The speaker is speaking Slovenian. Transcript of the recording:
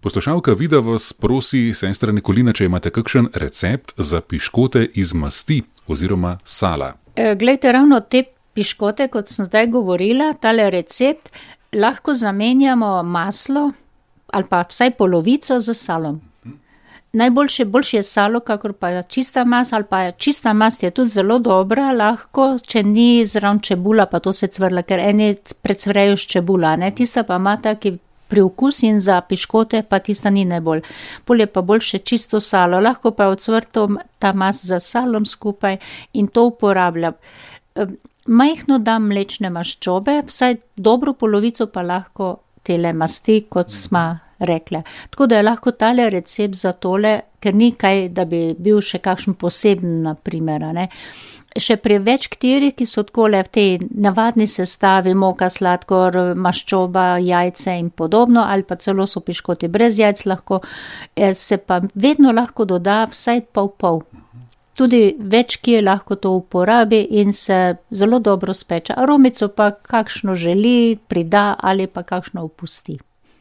Poslušalka Vida vas prosi, sestra Nikolina, če imate kakšen recept za piškote iz masti oziroma sala. Glejte, ravno te piškote, kot sem zdaj govorila, tale recept, lahko zamenjamo maslo ali pa vsaj polovico z salom. Boljše je salo, kakor pa čista mast, ali pa čista mast je tudi zelo dobra, lahko, če ni zraven čebula, pa to se cvrla, ker eni precvrejo s čebula, ne, tista pa ima taki priokus in za piškote pa tista ni najbolj. Bolje pa boljše čisto salo, lahko pa ocvrto ta mast z salom skupaj in to uporabljam. Majhno dam mlečne maščobe, vsaj dobro polovico pa lahko tele masti, kot smo rekle. Tako da je lahko tale recept za tole, ker ni kaj, da bi bil še kakšen poseben, na primer, ne. Še pri več katerih, ki so takole v tej navadni sestavi, moka, sladkor, maščoba, jajce in podobno, ali pa celo so piškoti brez jajc lahko, se pa vedno lahko doda vsaj pol. Tudi več kje lahko to uporabi in se zelo dobro speče. Aromico pa kakšno želi, prida ali pa kakšno opusti.